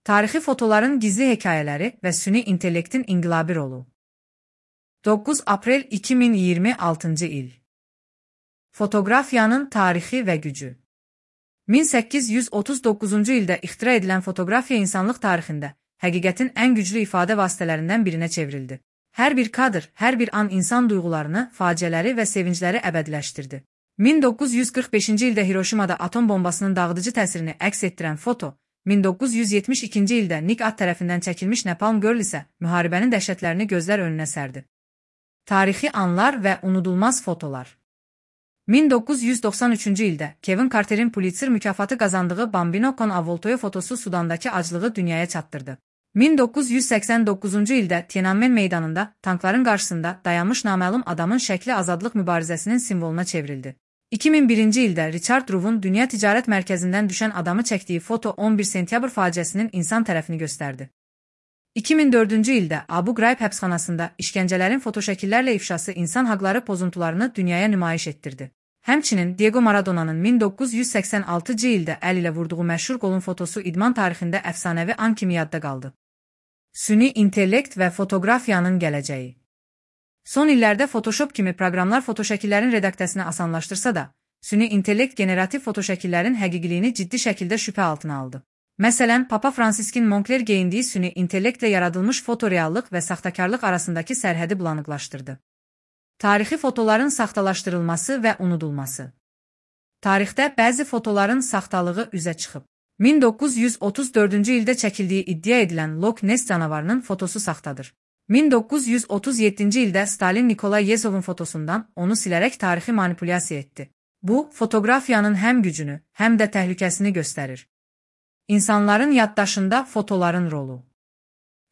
Tarixi fotoların gizli hekayələri və süni intellektin inqilabi rolu. 9 aprel 2026-cı il. Fotoqrafiyanın tarixi və gücü. 1839-cu ildə ixtira edilən fotoqrafiya insanlıq tarixində həqiqətin ən güclü ifadə vasitələrindən birinə çevrildi. Hər bir kadr, hər bir an insan duyğularını, faciələri və sevincləri əbədiləşdirdi. 1945-ci ildə Hiroşimada atom bombasının dağıdıcı təsirini əks etdirən foto, 1972-ci ildə Nick At tərəfindən çəkilmiş Napalm Girl isə müharibənin dəhşətlərini gözlər önünə sərdi. Tarixi anlar və unudulmaz fotolar. 1993-cü ildə Kevin Carter'in Pulitzer mükafatı qazandığı Bambino con Avvoltoio fotosu Sudandakı aclığı dünyaya çatdırdı. 1989-cu ildə Tiananmen meydanında tankların qarşısında dayanmış naməlum adamın şəkli azadlıq mübarizəsinin simvoluna çevrildi. 2001-ci ildə Richard Rouv'un Dünya Ticarət Mərkəzindən düşən adamı çəkdiyi foto 11 sentyabr faciəsinin insan tərəfini göstərdi. 2004-cü ildə Abu Ghraib həbsxanasında işgəncələrin fotoşəkillərlə ifşası insan haqları pozuntularını dünyaya nümayiş etdirdi. Həmçinin Diego Maradona'nın 1986-cı ildə əl ilə vurduğu məşhur qolun fotosu idman tarixində əfsanəvi an kimi yadda qaldı. Süni intellekt və fotoqrafiyanın gələcəyi. Son illərdə Photoshop kimi proqramlar fotoşəkillərin redaksiyasını asanlaşdırsa da, süni intellekt generativ fotoşəkillərin həqiqiliyini ciddi şəkildə şübhə altına aldı. Məsələn, Papa Franciskin Moncler geyindiyi süni intellektlə yaradılmış fotoreallıq və saxtakarlıq arasındakı sərhədi bulanıqlaşdırdı. Tarixi fotoların saxtalaşdırılması və unudulması. Tarixdə bəzi fotoların saxtalığı üzə çıxıb. 1934-cü ildə çəkildiyi iddia edilən Loch Ness canavarının fotosu saxtadır. 1937-ci ildə Stalin Nikolay Yezovun fotosundan onu silərək tarixi manipulyasiya etdi. Bu, fotoqrafiyanın həm gücünü, həm də təhlükəsini göstərir. İnsanların yaddaşında fotoların rolu.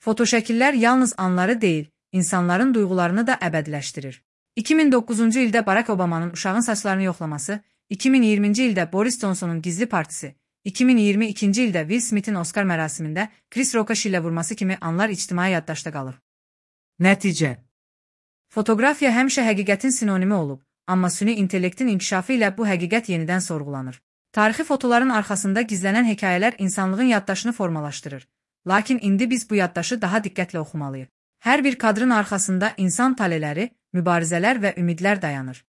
Fotoşəkillər yalnız anları deyil, insanların duyğularını da əbədiləşdirir. 2009-cu ildə Barack Obama'nın uşağın saçlarını yoxlaması, 2020-ci ildə Boris Johnson'un gizli partisi, 2022-ci ildə Will Smith'in Oscar mərasimində Chris Rock'a şillə vurması kimi anlar ictimai yaddaşda qalır. Nəticə. Fotoqrafiya həmişə həqiqətin sinonimi olub, amma süni intellektin inkişafı ilə bu həqiqət yenidən sorğulanır. Tarixi fotoların arxasında gizlənən hekayələr insanlığın yaddaşını formalaşdırır. Lakin indi biz bu yaddaşı daha diqqətlə oxumalıyıq. Hər bir kadrın arxasında insan taleləri, mübarizələr və ümidlər dayanır.